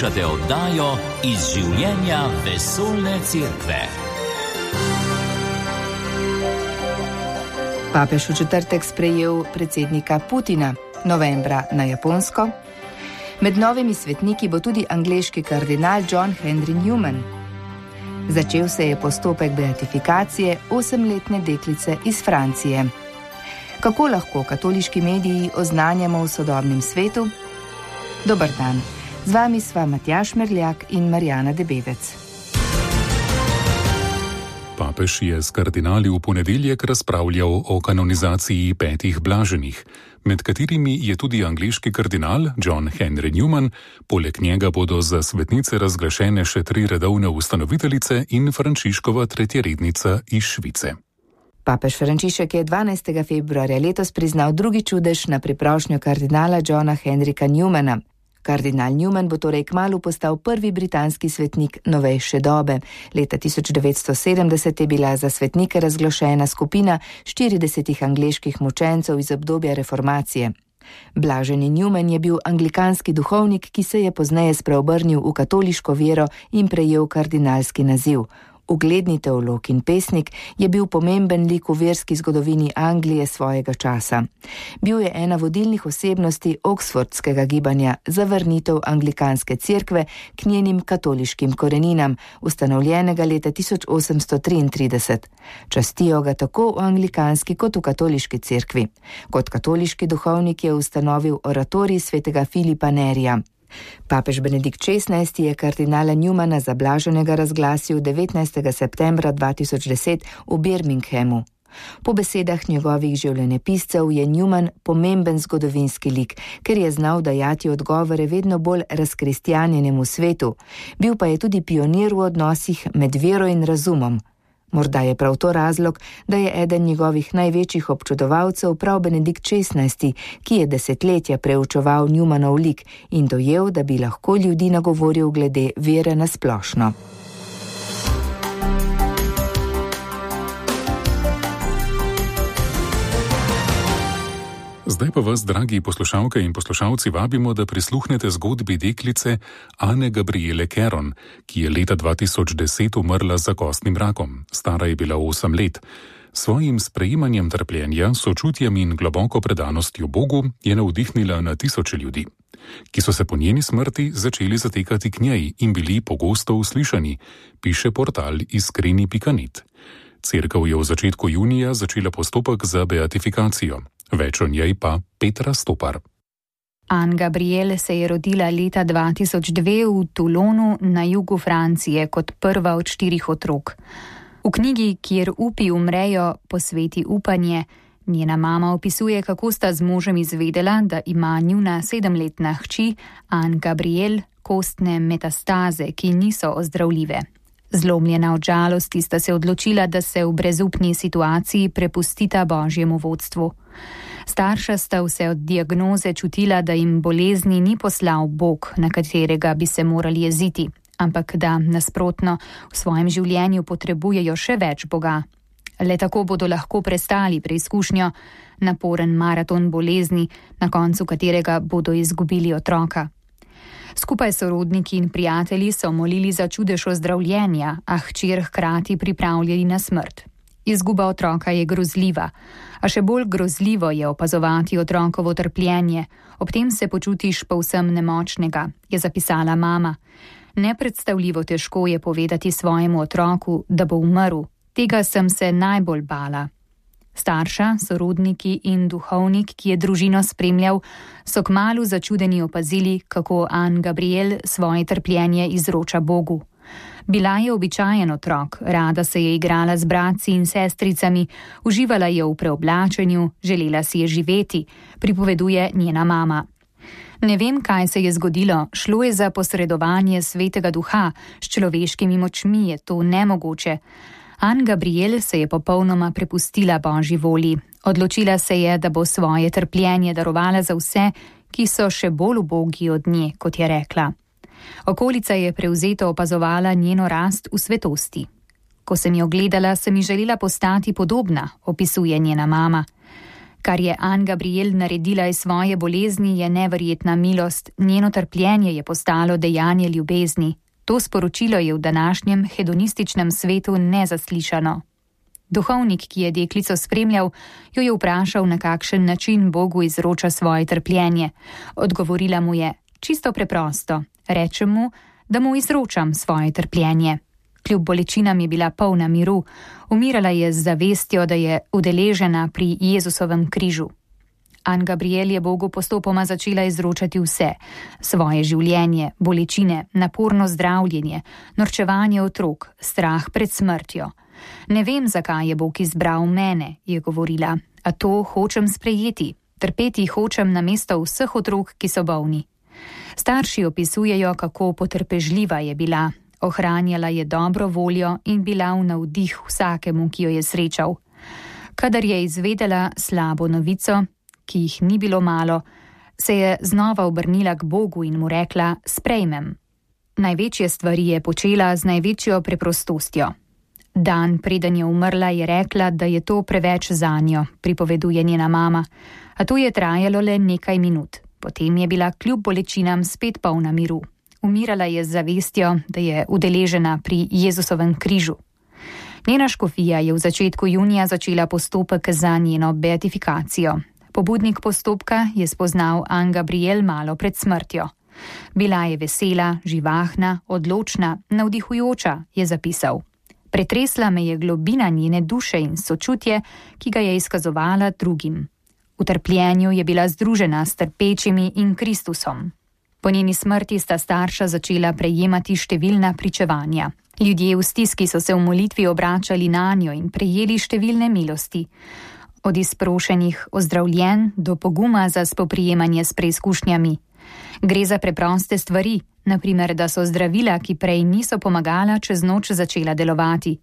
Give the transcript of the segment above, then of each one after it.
Poslušate oddajo Iz življenja vesoljne cerkve. Papež v četrtek sprejel predsednika Putina, novembra na Japonsko. Med novimi svetniki bo tudi angleški kardinal John Henry Newman. Začel se je postopek beatifikacije 8-letne deklice iz Francije. Kako lahko katoliški mediji oznanjamo v sodobnem svetu? Dober dan, z vami sva Matjaž Merljak in Marjana Debevec. Papež je s kardinali v ponedeljek razpravljal o kanonizaciji 5 blaženih, med katerimi je tudi angleški kardinal John Henry Newman, poleg njega bodo za svetnice razglašene še 3 redovne ustanoviteljice in Frančiškova tretjerednica iz Švice. Papež Frančišek je 12. februarja letos priznal drugi čudež na priprošnjo kardinala Johna Henryka Newmana. Kardinal Newman bo torej kmalu postal prvi britanski svetnik novejše dobe. Leta 1970 je bila za svetnike razglašena skupina 40 angleških mučencev iz obdobja reformacije. Blaženi Newman je bil anglikanski duhovnik, ki se je pozneje spreobrnil v katoliško vero in prejel kardinalski naziv. Ugledni teolog in pesnik je bil pomemben lik v verski zgodovini Anglije svojega časa. Bil je ena vodilnih osebnosti oksfordskega gibanja za vrnitev anglikanske cerkve k njenim katoliškim koreninam, ustanovljenega leta 1833. Častijo ga tako v anglikanski kot v katoliški cerkvi. Kot katoliški duhovnik je ustanovil oratorij svetega Filipa Nerija. Papež Benedikt XVI je kardinala Newmana za blaženega razglasil 19. septembra 2010 v Birminghamu. Po besedah njegovih življenjepiscev je Newman pomemben zgodovinski lik, ker je znal dajati odgovore vedno bolj razkristjanjenemu svetu. Bil pa je tudi pionir v odnosih med vero in razumom. Morda je prav to razlog, da je eden njegovih največjih občudovalcev prav Benedikt XVI, ki je desetletja preučeval Newmanov lik in dojel, da bi lahko ljudi nagovoril glede vere na splošno. Zdaj pa vas, dragi poslušalke in poslušalci, vabimo, da prisluhnete zgodbi deklice Anne Gabriele Caron, ki je leta 2010 umrla za kostnim rakom. Stara je bila 8 let. Svojim sprejemanjem trpljenja, sočutjem in globoko predanostjo Bogu je navdihnila na tisoče ljudi, ki so se po njeni smrti začeli zatekati k njej in bili pogosto uslišani, piše portal iskreni.net. Cerkev je v začetku junija začela postopek za beatifikacijo. Več o njej pa Petra Stopar. Anne Gabriele se je rodila leta 2002 v Toulonu na jugu Francije kot prva od 4 otrok. V knjigi Kjer upi umrejo, posveti upanje, njena mama opisuje, kako sta z možem izvedela, da ima njuna 7-letna hči Anne Gabriele kostne metastaze, ki niso ozdravljive. Zlomljena od žalosti sta se odločila, da se v brezupni situaciji prepustita Božjemu vodstvu. Starša sta vse od diagnoze čutila, da jim bolezni ni poslal Bog, na katerega bi se morali jeziti, ampak da nasprotno v svojem življenju potrebujejo še več Boga. Le tako bodo lahko prestali preizkušnjo, naporen maraton bolezni, na koncu katerega bodo izgubili otroka. Skupaj sorodniki in prijatelji so molili za čudež ozdravljenja, a hčer hkrati pripravljali na smrt. Izguba otroka je grozljiva, a še bolj grozljivo je opazovati otrokovo trpljenje, ob tem se počutiš povsem nemočnega, je zapisala mama. Nepredstavljivo težko je povedati svojemu otroku, da bo umrl, tega sem se najbolj bala. Starša, sorodniki in duhovnik, ki je družino spremljal, so kmalu začudeni opazili, kako Anne Gabriele svoje trpljenje izroča Bogu. Bila je običajen otrok, rada se je igrala z bratci in sestricami, uživala je v preoblačenju, želela si je živeti, pripoveduje njena mama. Ne vem, kaj se je zgodilo, šlo je za posredovanje svetega duha, s človeškimi močmi je to nemogoče. Anne Gabriele se je popolnoma prepustila Božji volji. Odločila se je, da bo svoje trpljenje darovala za vse, ki so še bolj ubogi od nje, kot je rekla. Okolica je prevzeto opazovala njeno rast v svetosti. Ko sem jo gledala, sem ji želela postati podobna, opisuje njena mama. Kar je Anne Gabriel naredila iz svoje bolezni, je neverjetna milost, njeno trpljenje je postalo dejanje ljubezni. To sporočilo je v današnjem hedonističnem svetu nezaslišano. Duhovnik, ki je deklico spremljal, jo je vprašal, na kakšen način Bogu izroča svoje trpljenje. Odgovorila mu je: čisto preprosto, rečem mu, da mu izročam svoje trpljenje. Kljub bolečinam je bila polna miru, umirala je z zavestjo, da je udeležena pri Jezusovem križu. Anne Gabriel je Bogu postopoma začela izročati vse: svoje življenje, bolečine, naporno zdravljenje, norčevanje otrok, strah pred smrtjo. Ne vem, zakaj je Bog izbral mene, je govorila, a to hočem sprejeti. Trpeti hočem namesto vseh otrok, ki so bolni. Starši opisujejo, kako potrpežljiva je bila. Ohranjala je dobro voljo in bila v navdih vsakemu, ki jo je srečal. Kadar je izvedela slabo novico, ki jih ni bilo malo, se je znova obrnila k Bogu in mu rekla: sprejmem. Največje stvari je počela z največjo preprostostjo. Dan preden je umrla, je rekla, da je to preveč zanjo, pripoveduje njena mama, a to je trajalo le nekaj minut. Potem je bila kljub bolečinam spet polna miru. Umirala je z zavestjo, da je udeležena pri Jezusovem križu. Njena škofija je v začetku junija začela postopek za njeno beatifikacijo. Pobudnik postopka je spoznal Anne Gabriel malo pred smrtjo. Bila je vesela, živahna, odločna, navdihujoča, je zapisal. Pretresla me je globina njene duše in sočutje, ki ga je izkazovala drugim. V trpljenju je bila združena s trpečimi in Kristusom. Po njeni smrti sta starša začela prejemati številna pričevanja. Ljudje v stiski so se v molitvi obračali nanjo in prejeli številne milosti. Od izprošenih ozdravljenj do poguma za spoprijemanje s preizkušnjami. Gre za preproste stvari, naprimer, da so zdravila, ki prej niso pomagala, čez noč začela delovati.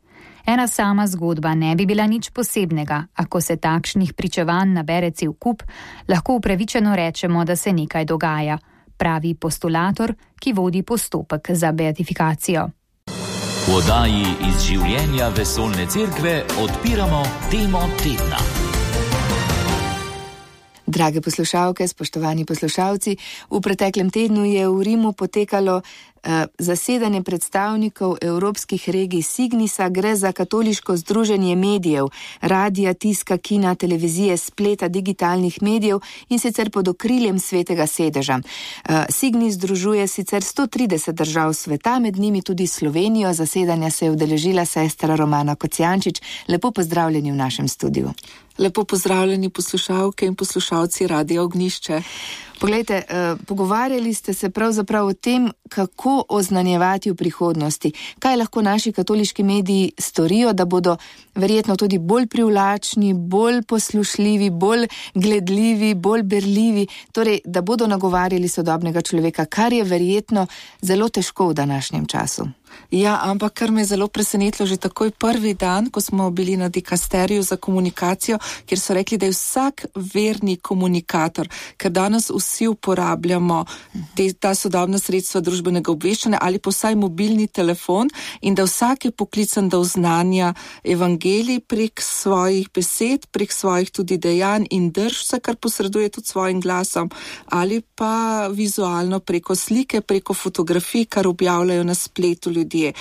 Ena sama zgodba ne bi bila nič posebnega, a ko se takšnih pričevanj nabere cel kup, lahko upravičeno rečemo, da se nekaj dogaja, pravi postulator, ki vodi postopek za beatifikacijo. V oddaji iz življenja Vesoljne cerkve odpiramo temo tedna. Drage poslušalke, spoštovani poslušalci, v preteklem tednu je v Rimu potekalo zasedanje predstavnikov evropskih regij Signisa. Gre za katoliško združenje medijev, radija, tiska, kina, televizije, spleta, digitalnih medijev in sicer pod okriljem Svetega sedeža. Signis združuje sicer 130 držav sveta, med njimi tudi Slovenijo. Zasedanja se je udeležila sestra Romana Kocijančič. Lepo pozdravljeni v našem studiu. Lepo pozdravljeni poslušalke in poslušalci Radia Ognjišče. Poglejte, pogovarjali ste se pravzaprav o tem, kako oznanjevati v prihodnosti. Kaj lahko naši katoliški mediji storijo, da bodo verjetno tudi bolj privlačni, bolj poslušljivi, bolj gledljivi, bolj berljivi, torej, da bodo nagovarjali sodobnega človeka, kar je verjetno zelo težko v današnjem času. Ja, ampak kar me je zelo presenetilo že takoj prvi dan, ko smo bili na dikasteriju za komunikacijo, kjer so rekli, da je vsak verni komunikator, ker danes vsi uporabljamo ta sodobna sredstva družbenega obveščanja ali pa vsaj mobilni telefon in da vsak je poklican, da oznanja evangelij prek svojih besed, prek svojih tudi dejanj in drž vse, kar posreduje tudi svojim glasom ali pa vizualno preko slike, preko fotografij, kar objavljajo na spletu ljudje.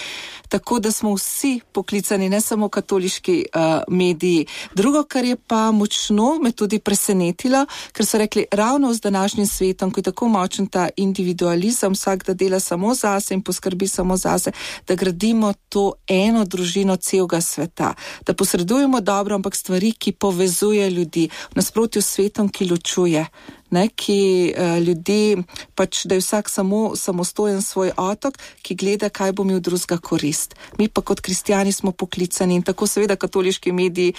Tako da smo vsi poklicani, ne samo katoliški mediji. Drugo, kar je pa močno me tudi presenetilo, ker so rekli, ravno z današnjim svetom, ko je tako močen ta individualizem, vsak da dela samo zase in poskrbi samo zase, da gradimo to eno družino celega sveta. Da posredujemo dobro, ampak stvari, ki povezuje ljudi, v nasprotju s svetom, ki ločuje. Ki ljudi, pač, da je vsak samostojen svoj otok, ki gleda, kaj bo imel drugega korist. Mi pa kot kristjani smo poklicani in tako seveda katoliški mediji,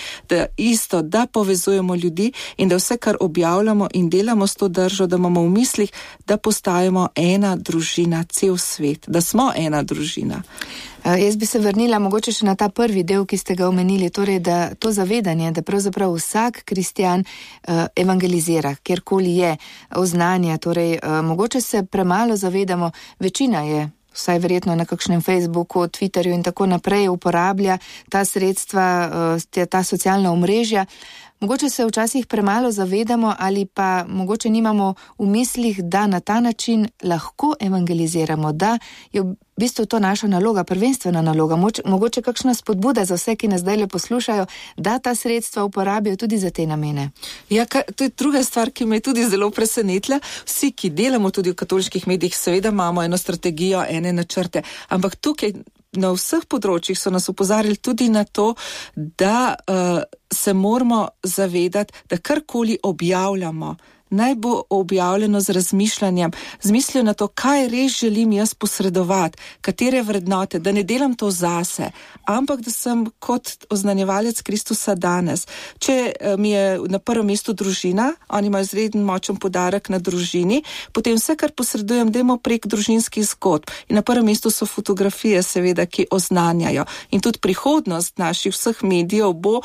da povezujemo ljudi in da vse, kar objavljamo in delamo s to držo, da imamo v mislih, da postajamo ena družina, cel svet, da smo ena družina. Jaz bi se vrnila mogoče še na ta prvi del, ki ste ga omenili, torej da to zavedanje, da pravzaprav vsak kristjan evangelizira, kjerkoli je, oznanja, torej mogoče se premalo zavedamo, večina je, vsaj verjetno na kakšnem Facebooku, Twitterju in tako naprej uporablja ta sredstva, ta socialna omrežja, mogoče se včasih premalo zavedamo ali pa mogoče nimamo v mislih, da na ta način lahko evangeliziramo, da je v bistvu to naša naloga, prvenstvena naloga, mogoče kakšna spodbuda za vse, ki nas zdaj le poslušajo, da ta sredstva uporabijo tudi za te namene. Ja, to je druga stvar, ki me je tudi zelo presenetila. Vsi, ki delamo tudi v katoliških medijih, seveda imamo eno strategijo, ene načrte, ampak tukaj na vseh področjih so nas opozarjali tudi na to, da se moramo zavedati, da karkoli objavljamo, naj bo objavljeno z razmišljanjem, z mislijo na to, kaj res želim jaz posredovati, katere vrednote, da ne delam to zase, ampak da sem kot oznanjevalec Kristusa danes. Če mi je na prvem mestu družina, oni imajo izreden močen poudarek na družini, potem vse, kar posredujem, dajmo prek družinskih zgodb. In na prvem mestu so fotografije, seveda, ki oznanjajo. In tudi prihodnost naših vseh medijev bo,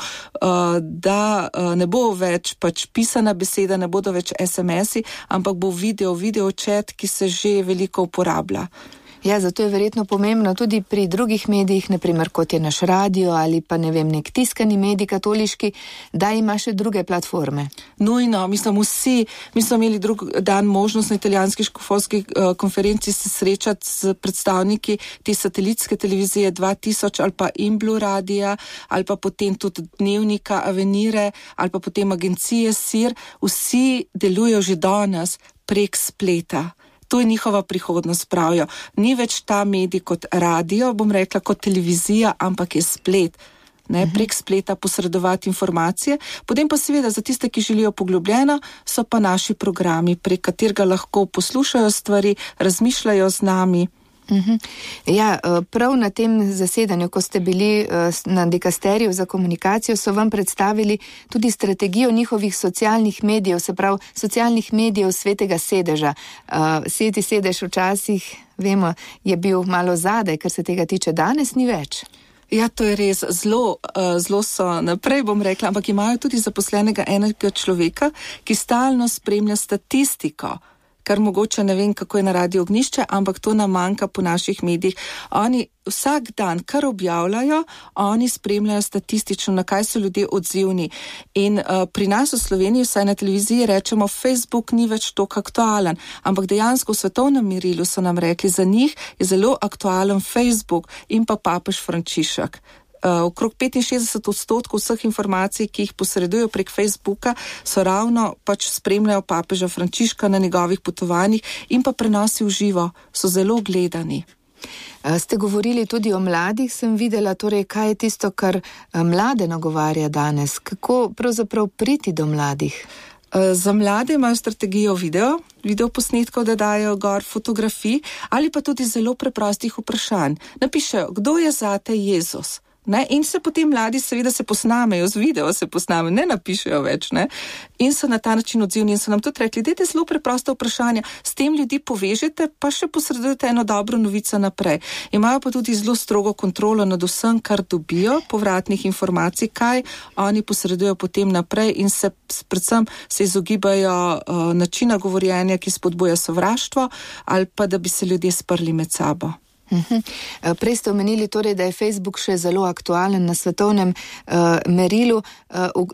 da ne bo več pač pisana beseda, ne bodo več SMS-i, ampak bo video chat, ki se že veliko uporablja. Ja, zato je verjetno pomembno tudi pri drugih medijih, naprimer kot je naš radio ali pa ne vem, nek tiskani medij katoliški, da ima še druge platforme. Nujno, mi smo imeli drug dan možnost na italijanski škofovski konferenci se srečati s predstavniki te satelitske televizije 2000 ali pa Imblu radija, ali pa potem tudi dnevnika Avenire, ali pa potem agencije SIR, vsi delujejo že danes prek spleta. To je njihova prihodnost, pravijo. Ni več ta medij kot radio, bom rekla, kot televizija, ampak je splet. Prek spleta posredovati informacije. Potem pa seveda za tiste, ki želijo poglobljeno, so pa naši programi, prek katerega lahko poslušajo stvari, razmišljajo z nami. Ja, prav na tem zasedanju, ko ste bili na dikasteriju za komunikacijo, so vam predstavili tudi strategijo njihovih socialnih medijev, se pravi socialnih medijev Svetega sedeža. Sveti sedež včasih, vemo, je bil malo zadaj, kar se tega tiče, danes ni več. Ja, to je res, zelo so naprej, bom rekla, ampak imajo tudi zaposlenega enega človeka, ki stalno spremlja statistiko, kar mogoče ne vem, kako je na Radiu Ognjišče, ampak to nam manjka po naših medijih. Oni vsak dan, kar objavljajo, oni spremljajo statistično, na kaj so ljudje odzivni. In pri nas v Sloveniji, vsaj na televiziji, rečemo, Facebook ni več toliko aktualen, ampak dejansko v svetovnem merilu so nam rekli, za njih je zelo aktualen Facebook in pa papež Frančišek. Okrog 65% vseh informacij, ki jih posredujo prek Facebooka, so ravno pač spremljajo papeža Frančiška na njegovih potovanjih in pa prenosi v živo, so zelo gledani. Ste govorili tudi o mladih, sem videla, torej kaj je tisto, kar mlade nagovarja danes, kako pravzaprav priti do mladih? Za mlade imajo strategijo video posnetkov, da dajo gor fotografij ali pa tudi zelo preprostih vprašanj. Napišejo, kdo je zate Jezus? In se potem mladi seveda se posnamejo, z video se posnamejo, ne napišejo več, in so na ta način odzivni in so nam tudi rekli, dajte zelo preprosta vprašanja, s tem ljudi povežete, pa še posredujete eno dobro novico naprej. Imajo pa tudi zelo strogo kontrolo nad vsem, kar dobijo, povratnih informacij, kaj oni posredujo potem naprej in se predvsem se izogibajo načina govorjenja, ki spodbuja sovraštvo ali pa da bi se ljudje sprli med sabo. Prej ste omenili torej, da je Facebook še zelo aktualen na svetovnem merilu.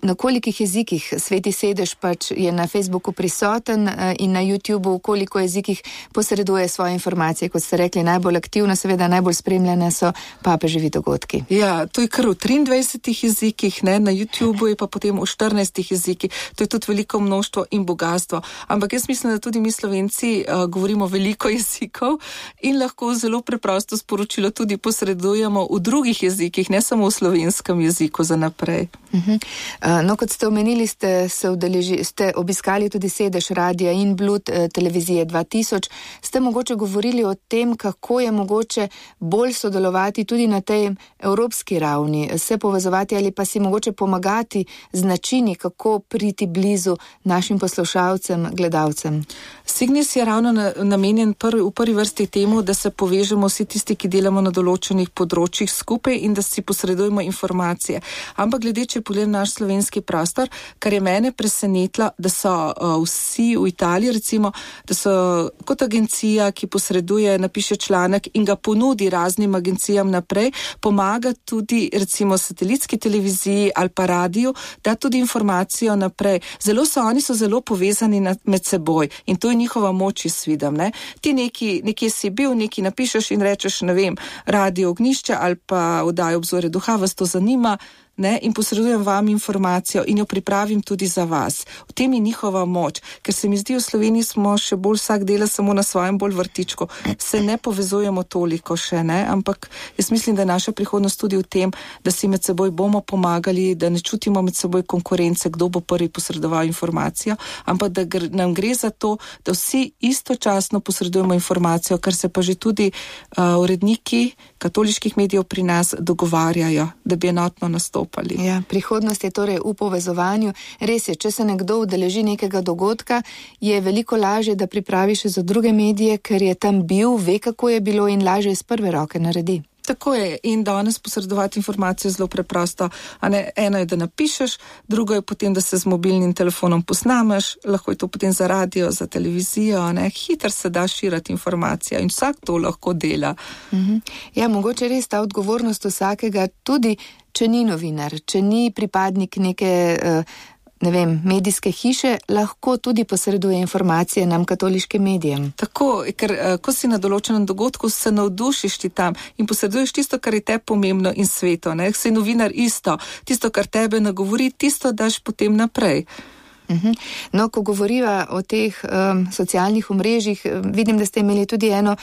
Na kolikih jezikih Sveti sedež pač je na Facebooku prisoten in na YouTubeu, v koliko jezikih posreduje svoje informacije, kot ste rekli, najbolj aktivno, seveda najbolj spremljene so papeževi dogodki. Ja, to je kar v 23 jezikih, na YouTubeu je pa potem v 14 jezikih. To je tudi veliko množstvo in bogatstvo. Ampak jaz mislim, da tudi mi Slovenci govorimo veliko jezikov in lahko zelo preprosto sporočilo tudi posredujemo v drugih jezikih, ne samo v slovenskem jeziku za naprej. No, kot ste omenili, ste obiskali tudi sedež Radia in Blud televizije 2000. Ste mogoče govorili o tem, kako je mogoče bolj sodelovati tudi na tej evropski ravni, se povezovati ali pa si mogoče pomagati z načini, kako priti blizu našim poslušalcem, gledalcem. Signis je ravno namenjen v prvi vrsti temu, da se povežemo vsi tisti, ki delamo na določenih področjih skupaj in da si posredujemo informacije. Ampak glede, če pogledam naš slovenski prostor, kar je mene presenetilo, da so vsi v Italiji, recimo, da so kot agencija, ki posreduje, napiše članek in ga ponudi raznim agencijam naprej, pomaga tudi recimo satelitski televiziji ali pa radiju, da tudi informacijo naprej. Oni so zelo povezani med seboj in to je njihova moč, jaz vidim, ne. Ti nekje si bil, nekaj napišeš in rečeš, ne vem, Radio Ognjišče ali pa oddajo Obzorje duha, vas to zanima, ne, in posredujem vam informacijo in jo pripravim tudi za vas. V tem je njihova moč, ker se mi zdi, v Sloveniji smo še bolj vsak dela samo na svojem bolj vrtičku. Se ne povezujemo toliko še, ne, ampak jaz mislim, da je naša prihodnost tudi v tem, da si med seboj bomo pomagali, da ne čutimo med seboj konkurence, kdo bo prvi posredoval informacijo, ampak da nam gre za to, da vsi istočasno posredujemo informacijo, kar se pa že tudi uredniki katoliških medijev pri nas dogovarjajo, da bi enotno nastopili. Ja, prihodnost je torej v povezovanju. Res je, če se nekdo udeleži nekega dogodka, je veliko lažje, da pripravi še za druge medije, ker je tam bil, ve, kako je bilo in lažje iz prve roke naredi. Tako je, in danes posredovati informacijo zelo preprosto. Eno je, da napišeš, drugo je potem, da se z mobilnim telefonom posnameš, lahko je to potem za radio, za televizijo, hitro se da širiti informacija in vsak to lahko dela. Ja, mogoče res ta odgovornost vsakega, tudi če ni novinar, če ni pripadnik neke medijske hiše, lahko tudi posreduje informacije nam katoliškim medijem. Tako, ker ko si na določenem dogodku, se navdušiš ti tam in posreduješ tisto, kar je te pomembno in sveto, ne? Si novinar isto, tisto, kar tebe nagovori, tisto daš potem naprej. No, ko govoriva o teh socialnih omrežjih, vidim, da ste imeli tudi eno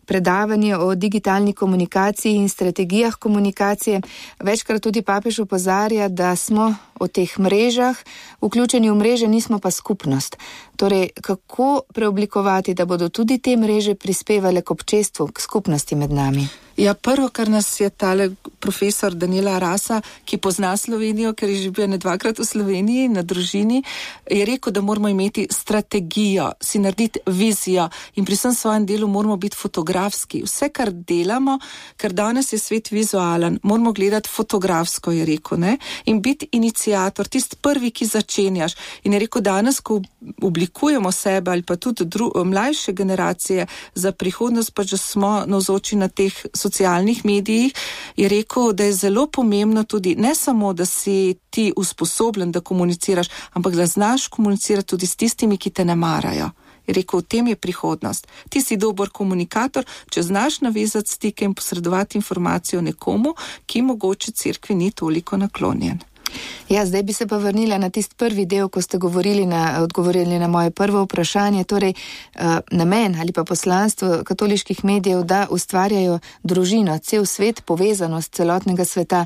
predavanje o digitalni komunikaciji in strategijah komunikacije. Večkrat tudi papež opozarja, da smo o teh mrežah, vključeni v mreže, nismo pa skupnost. Torej, kako preoblikovati, da bodo tudi te mreže prispevale k občestvu, k skupnosti med nami? Ja, prvo, kar nas je tale profesor Daniela Arasa, ki pozna Slovenijo, ker je že bil dvakrat v Sloveniji na družini, je rekel, da moramo imeti strategijo, si narediti vizijo in pri vsem svojem delu moramo biti fotografski. Vse, kar delamo, ker danes je svet vizualen, moramo gledati fotografsko, je rekel, ne? In biti iniciator, tisti prvi, ki začenjaš. In je rekel, danes, ko oblikujemo sebe ali pa tudi mlajše generacije za prihodnost, pa že smo navzoči na teh socialnih medijih, je rekel, da je zelo pomembno tudi ne samo, da si ti usposobljen, da komuniciraš, ampak da znaš komunicirati tudi s tistimi, ki te ne marajo. Je rekel, v tem je prihodnost. Ti si dober komunikator, če znaš navezati stike in posredovati informacijo nekomu, ki mogoče cerkvi ni toliko naklonjen. Ja, zdaj bi se pa vrnila na tisti prvi del, ko ste odgovorili na moje prvo vprašanje, torej namen ali pa poslanstvo katoliških medijev, da ustvarjajo družino, cel svet, povezanost celotnega sveta,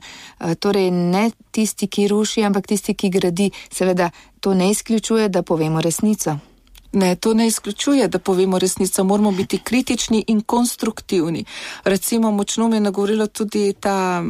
torej ne tisti, ki ruši, ampak tisti, ki gradi. Seveda to ne izključuje, da povemo resnico. Ne, to ne izključuje, da povemo resnico, moramo biti kritični in konstruktivni. Recimo, močno me je nagovorila tudi ta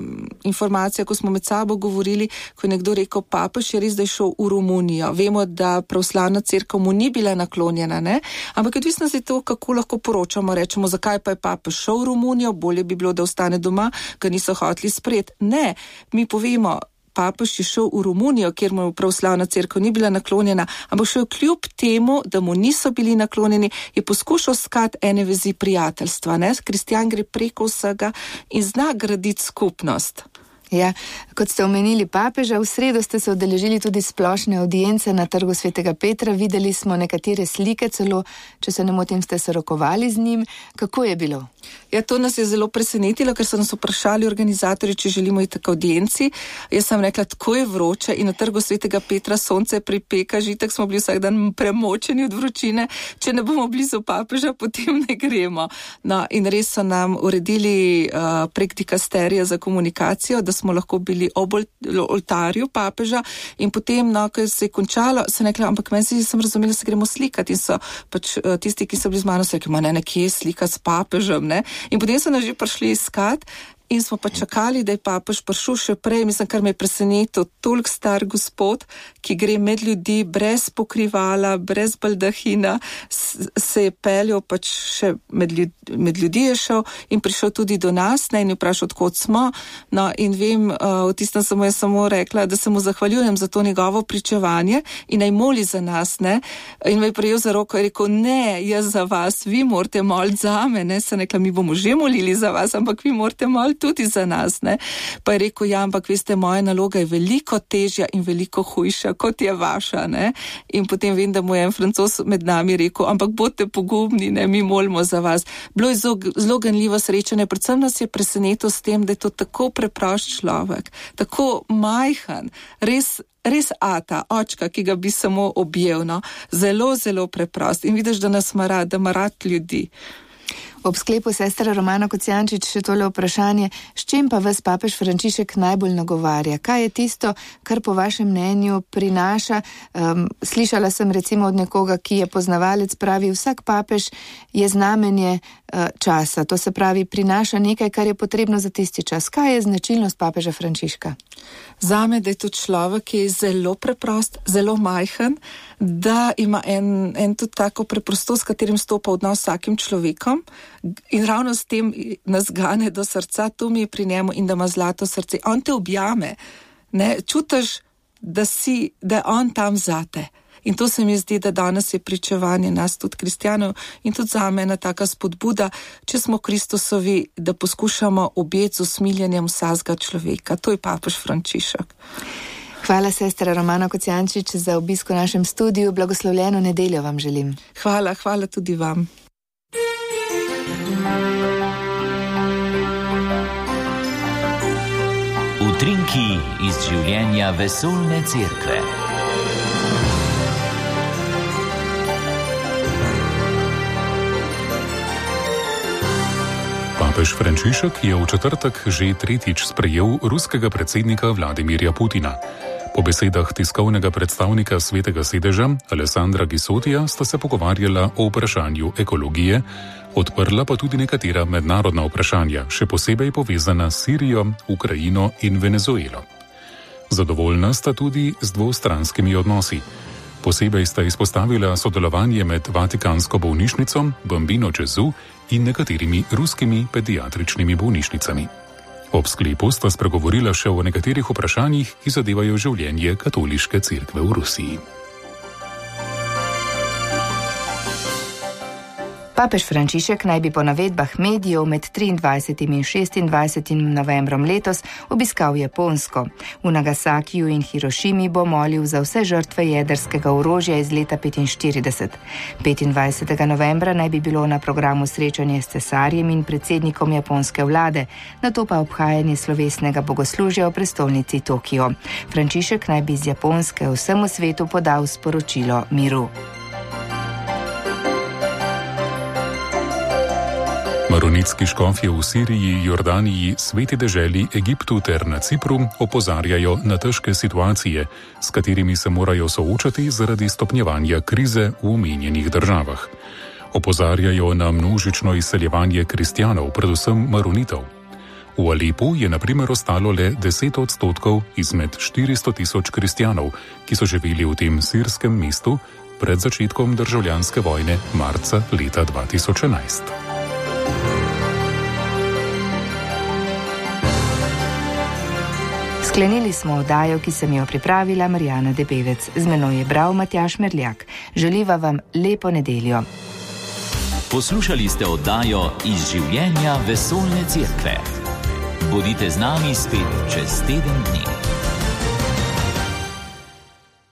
informacija, ko smo med sabo govorili, ko je nekdo rekel, papež je res, da je šel v Romunijo. Vemo, da pravoslavna cerkev mu ni bila naklonjena, ne? Ampak odvisno je to, kako lahko poročamo, rečemo, zakaj pa je papež šel v Romunijo, bolje bi bilo, da ostane doma, ga niso hoteli sprejeti. Ne, mi povemo, papež je šel v Romunijo, kjer mu pravoslavna cerkev ni bila naklonjena, ampak šel kljub temu, da mu niso bili naklonjeni, je poskušal skati ene vezi prijateljstva. Kristjan gre preko vsega in zna graditi skupnost. Ja, kot ste omenili papeža, v sredo ste se udeležili tudi splošne audience na Trgu svetega Petra. Videli smo nekatere slike, celo, če se ne motim, ste se rokovali z njim. Kako je bilo? Ja, to nas je zelo presenetilo, ker so nas vprašali organizatorji, če želimo iti k audienci. Jaz sem rekla, tako je vroče in na Trgu svetega Petra sonce pripeka, žitek smo bili vsak dan premočeni od vročine. Če ne bomo blizu papeža, potem ne gremo. No, in res so nam uredili prek dikasterija za komunikacijo, da smo lahko bili ob oltarju papeža in potem, ko se je končalo, sem rekla, ampak meni sem razumela, se gremo slikati in so pač tisti, ki so bili z mano, so rekli, nekje slika s papežem, ne? In potem so nas že prišli iskat in smo pa čakali, da je papež prišel še prej, mislim, kar me je presenetil, toliko star gospod, ki gre med ljudi brez pokrivala, brez baldahina, se je peljal pač še med ljudi je šel in prišel tudi do nas, ne, in je vprašal, odkot smo, no, in vem, v tistem sem mu jaz samo rekla, da se mu zahvaljujem za to njegovo pričevanje in naj moli za nas, ne, in me je prijel za roko in rekel, ne, jaz za vas, vi morate moliti zame, ne, sem rekla, mi bomo že molili za vas, ampak vi morate moliti tudi za nas, ne. Pa je rekel, ja, ampak veste, moja naloga je veliko težja in veliko hujša, kot je vaša, ne. In potem vem, da mu je en Francoz med nami rekel, ampak bodite pogumni, ne, mi molimo za vas. Bilo je zelo ganljivo srečanje, predvsem nas je presenetil s tem, da je to tako preprost človek, tako majhen, res ata, očka, ki ga bi samo objel, no. Zelo, zelo preprost in vidiš, da nas ima rad, da ima rad ljudi. Ob sklepu sestra Romana Kocijančič še tole vprašanje, s čim pa vas papež Frančišek najbolj nagovarja? Kaj je tisto, kar po vašem mnenju prinaša? Slišala sem recimo od nekoga, ki je poznavalec, pravi, vsak papež je znamenje časa, to se pravi, prinaša nekaj, kar je potrebno za tisti čas. Kaj je značilnost papeža Frančiška? Zame, da je to človek, ki je zelo preprost, zelo majhen, da ima en tudi tako preprostost, s katerim stopa odnos s vsakim človekom in ravno s tem nas gane do srca, to mi je pri njemu in da ima zlato srce. On te objame, ne, čutiš, da je on tam zate. In to se mi zdi, da danes je pričevanje nas tudi kristjanov in tudi zame ena taka spodbuda, če smo Kristusovi, da poskušamo objeti z usmiljenjem vsakega človeka. To je papež Frančišek. Hvala, sestra Romana Kocijančič, za obisk v našem studiu. Blagoslovljeno nedeljo vam želim. Hvala tudi vam. Utrinki iz življenja vesoljne cerkve. Papež Frančišek je v četrtek že tretjič sprejel ruskega predsednika Vladimirja Putina. Po besedah tiskovnega predstavnika Svetega sedeža Alessandra Gisotija sta se pogovarjala o vprašanju ekologije, odprla pa tudi nekatera mednarodna vprašanja, še posebej povezana s Sirijo, Ukrajino in Venezuelo. Zadovoljna sta tudi z dvostranskimi odnosi. Posebej sta izpostavila sodelovanje med Vatikansko bolnišnico, Bambino Gesù in nekaterimi ruskimi pediatričnimi bolnišnicami. Ob sklepu sta spregovorila še o nekaterih vprašanjih, ki zadevajo življenje katoliške cerkve v Rusiji. Papež Frančišek naj bi po navedbah medijev med 23. in 26. novembrom letos obiskal Japonsko. V Nagasakiju in Hirošimi bo molil za vse žrtve jedrskega orožja iz leta 1945. 25. novembra naj bi bilo na programu srečanje s cesarjem in predsednikom japonske vlade, nato pa obhajanje slovesnega bogoslužja v prestolnici Tokio. Frančišek naj bi z Japonske vsemu svetu podal sporočilo miru. Maronitski škofje v Siriji, Jordaniji, Sveti deželi, Egiptu ter na Cipru opozarjajo na težke situacije, s katerimi se morajo soočati zaradi stopnjevanja krize v omenjenih državah. Opozarjajo na množično izseljevanje kristjanov, predvsem maronitov. V Alepu je na primer ostalo le 10% izmed 400.000 kristjanov, ki so živeli v tem sirskem mestu pred začetkom državljanske vojne marca leta 2011. Sklenili smo oddajo, ki sem jo pripravila Marijana Debevec. Z menoj je bral Matjaž Merljak. Želiva vam lepo nedeljo. Poslušali ste oddajo Iz življenja vesoljne cerkve. Bodite z nami spet čez teden dni.